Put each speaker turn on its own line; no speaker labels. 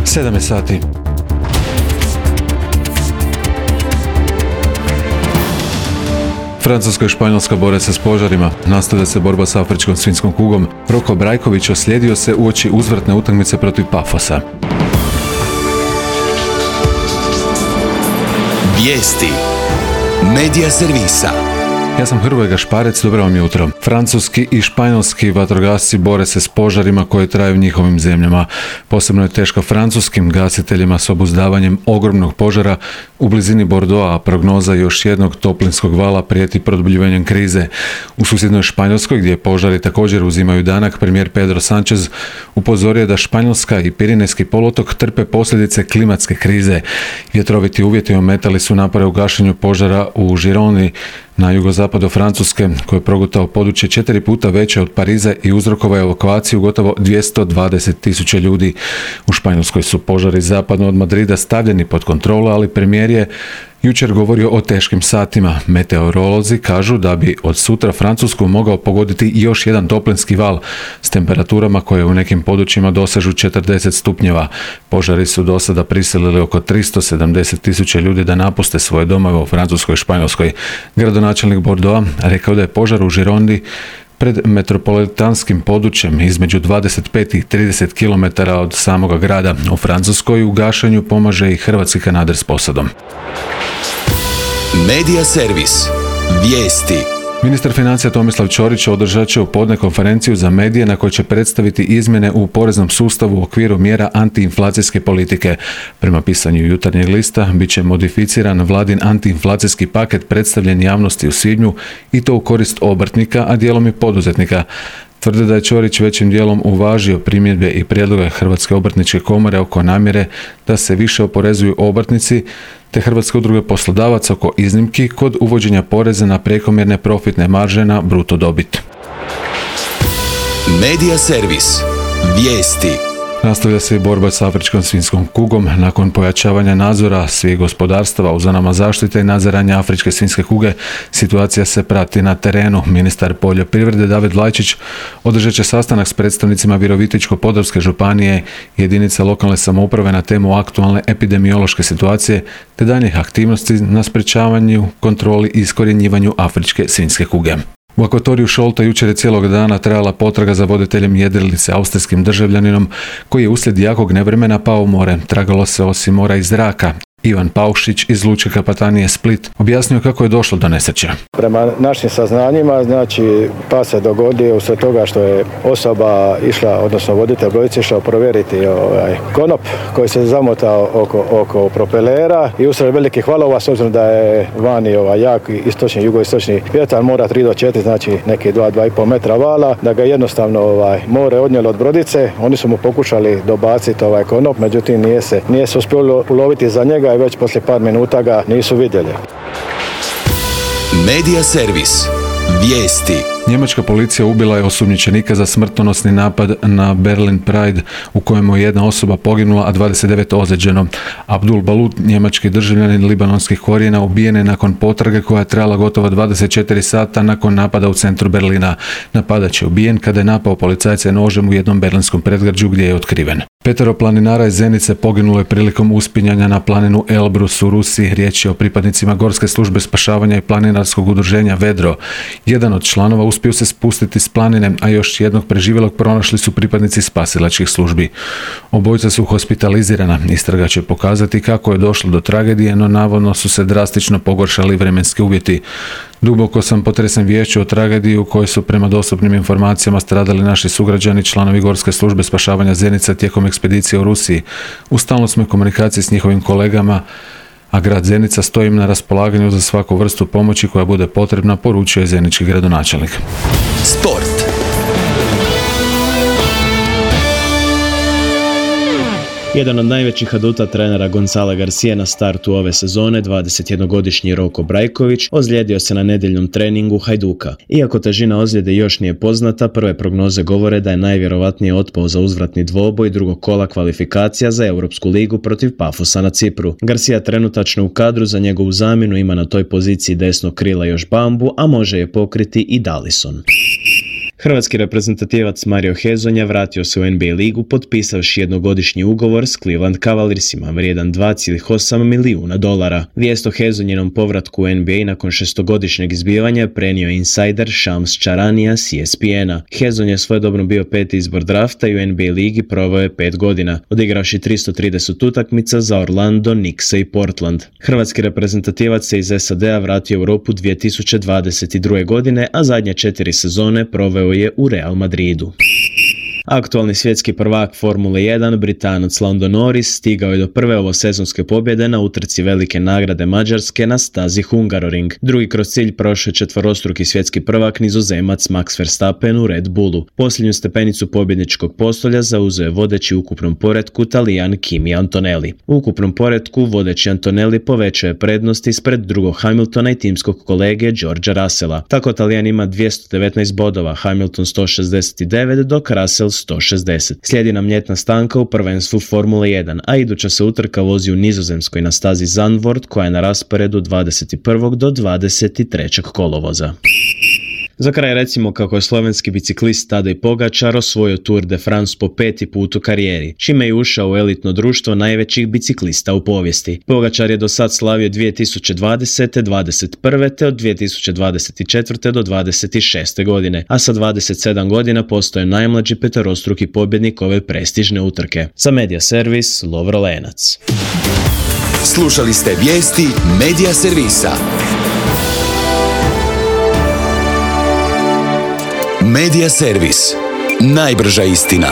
7 sati. Francuska i Španjolska bore se s požarima, nastavlja se borba s afričkom svinjskom kugom. Roko Brajković oslijedio se uoči uzvratne utakmice protiv Pafosa.
Vijesti Medija servisa.
Ja sam Hrvoje Gašparec, dobro vam jutro. Francuski i španjolski vatrogasci bore se s požarima koji traju u njihovim zemljama. Posebno je teško francuskim gasiteljima s obuzdavanjem ogromnog požara u blizini Bordeauxa, a prognoza još jednog toplinskog vala prijeti produbljivanjem krize. U susjednoj Španjolskoj, gdje požari također uzimaju danak, premijer Pedro Sánchez upozorio da Španjolska i Pirinejski poluotok trpe posljedice klimatske krize. Vjetroviti uvjeti ometali su napore u gašenju požara u Gironi, na jugozapadu Francuske, koji je progutao područje 4 puta veće od Pariza i uzrokovao evakuaciju gotovo 220.000 ljudi. U Španjolskoj su požari zapadno od Madrida stavljeni pod kontrolu, ali premijer je jučer govorio o teškim satima. Meteorolozi kažu da bi od sutra Francusku mogao pogoditi još jedan toplinski val s temperaturama koje u nekim područjima dosežu 40 stupnjeva. Požari su do sada prisilili oko 370.000 ljudi da napuste svoje domove u Francuskoj i Španjolskoj. Gradonačelnik Bordeauxa rekao da je požar u Girondi pred metropolitanskim područjem između 25 i 30 km od samoga grada. U Francuskoj u gašenju pomaže i hrvatski kanader s posadom.
Medija servis. Vijesti.
Ministar financija Tomislav Ćorić održat će u podne konferenciju za medije na kojoj će predstaviti izmjene u poreznom sustavu u okviru mjera antiinflacijske politike. Prema pisanju Jutarnjeg lista bit će modificiran vladin antiinflacijski paket predstavljen javnosti u svibnju i to u korist obrtnika, a dijelom i poduzetnika. Tvrde da je Ćorić većim dijelom uvažio primjedbe i prijedloge Hrvatske obrtničke komore oko namjere da se više oporezuju obrtnici, te Hrvatske udruge poslodavaca oko iznimki kod uvođenja poreza na prekomjerne profitne marže na bruto dobit.
Medija servis. Vijesti.
Nastavlja se i borba s afričkom svinjskom kugom. Nakon pojačavanja nadzora svih gospodarstava u zonama zaštite i nadziranja afričke svinjske kuge, situacija se prati na terenu. Ministar poljoprivrede David Lajčić održat će sastanak s predstavnicima Virovitičko-podravske županije i jedinice lokalne samouprave na temu aktualne epidemiološke situacije te daljnjih aktivnosti na sprečavanju, kontroli i iskorjenjivanju afričke svinjske kuge. U akvatoriju Šolta jučer je cijelog dana trajala potraga za voditeljem jedrilice, austrijskim državljaninom koji je uslijed jakog nevremena pao u more. Tragalo se osim mora i zraka. Ivan Paušić iz Lučke kapetanije Split objasnio kako je došlo do nesreće.
Prema našim saznanjima, pas se dogodio usred toga što je osoba išla, odnosno voditelj brodice išao provjeriti konop koji se zamotao oko propelera i usred velikih valova, s obzirom da je vani jak istočni, jugoistočni vjetar, mora 3 do 4, znači neki 2,5 metra vala, da ga jednostavno more odnijelo od brodice. Oni su mu pokušali dobaciti konop, međutim nije se uspjelo uloviti za njega i već poslije par minuta ga nisu vidjeli.
Medija servis. Vijesti.
Njemačka policija ubila je osumnjičenika za smrtonosni napad na Berlin Pride u kojemu je jedna osoba poginula, a 29 ozlijeđeno. Abdul Balut, njemački državljanin libanonskih korijena, ubijen je nakon potrage koja je trajala gotovo 24 sata nakon napada u centru Berlina. Napadač je ubijen kada je napao policajce nožem u jednom berlinskom predgrađu gdje je otkriven. 5 planinara iz Zenice poginulo je prilikom uspinjanja na planinu Elbrus u Rusiji. Riječ je o pripadnicima Gorske službe spašavanja i planinarskog udruženja Vedro. Jedan od članova uspio se spustiti s planine, a još jednog preživjelog pronašli su pripadnici spasilačkih službi. Obojica su hospitalizirana. Istraga će pokazati kako je došlo do tragedije, no navodno su se drastično pogoršali vremenski uvjeti. Duboko sam potresen viješću o tragediji u kojoj su prema dostupnim informacijama stradali naši sugrađani, članovi Gorske službe spašavanja Zenica tijekom ekspedicije u Rusiji. U stalnoj smo komunikaciji s njihovim kolegama, a grad Zenica stoji im na raspolaganju za svaku vrstu pomoći koja bude potrebna, poručio je zenički gradonačelnik.
Sport.
Jedan od najvećih aduta trenera Gonzala Garcia na startu ove sezone, 21-godišnji Roko Brajković, ozlijedio se na nedjeljnom treningu Hajduka. Iako težina ozljede još nije poznata, prve prognoze govore da je najvjerovatnije otpao za uzvratni dvoboj drugog kola kvalifikacija za Europsku ligu protiv Pafosa na Cipru. Garcia trenutačno u kadru, za njegovu zamjenu ima na toj poziciji desnog krila još Bambu, a može je pokriti i Dallison. Hrvatski reprezentativac Mario Hezonja vratio se u NBA ligu potpisavši jednogodišnji ugovor s Cleveland Cavaliersima vrijedan $2,8 milijuna. Vijest o Hezonjinom povratku u NBA nakon 6-godišnjeg izbivanja prenio insider Shams Charania s ESPN-a. Hezonja je svojedobno bio 5. izbor drafta i u NBA ligi proveo je 5 godina, odigravši 330 utakmica za Orlando, Knickse i Portland. Hrvatski reprezentativac se iz SAD-a vratio u Europu 2022. godine, a zadnje 4 sezone proveo je u Real Madridu. Aktualni svjetski prvak Formule 1, Britanac Lando Norris, stigao je do prve ovosezonske pobjede na utrci velike nagrade Mađarske na stazi Hungaroring. Drugi kroz cilj prošao je četvorostruki svjetski prvak Nizozemac Max Verstappen u Red Bullu. Posljednju stepenicu pobjedničkog postolja zauzeo je vodeći u ukupnom poretku Talijan Kimi Antonelli. U ukupnom poretku vodeći Antonelli povećao je prednost ispred drugog Hamiltona i timskog kolege Georgea Russella. Tako Talijan ima 219 bodova, Hamilton 169, dok Russell 160. Slijedi nam ljetna stanka u prvenstvu Formule 1, a iduća se utrka vozi u Nizozemskoj na stazi Zandvoort koja je na rasporedu 21. do 23. kolovoza. Za kraj recimo kako je slovenski biciklist Tadej Pogačar osvojio Tour de France po 5. put u karijeri, čime je ušao u elitno društvo najvećih biciklista u povijesti. Pogačar je do sad slavio 2020. 21. te od 2024. do 26. godine, a sa 27 godina postao je najmlađi peterostruki pobjednik ove prestižne utrke. Za Media Servis, Lovro Lenac.
Slušali ste vijesti Media Servisa. Media Servis. Najbrža istina.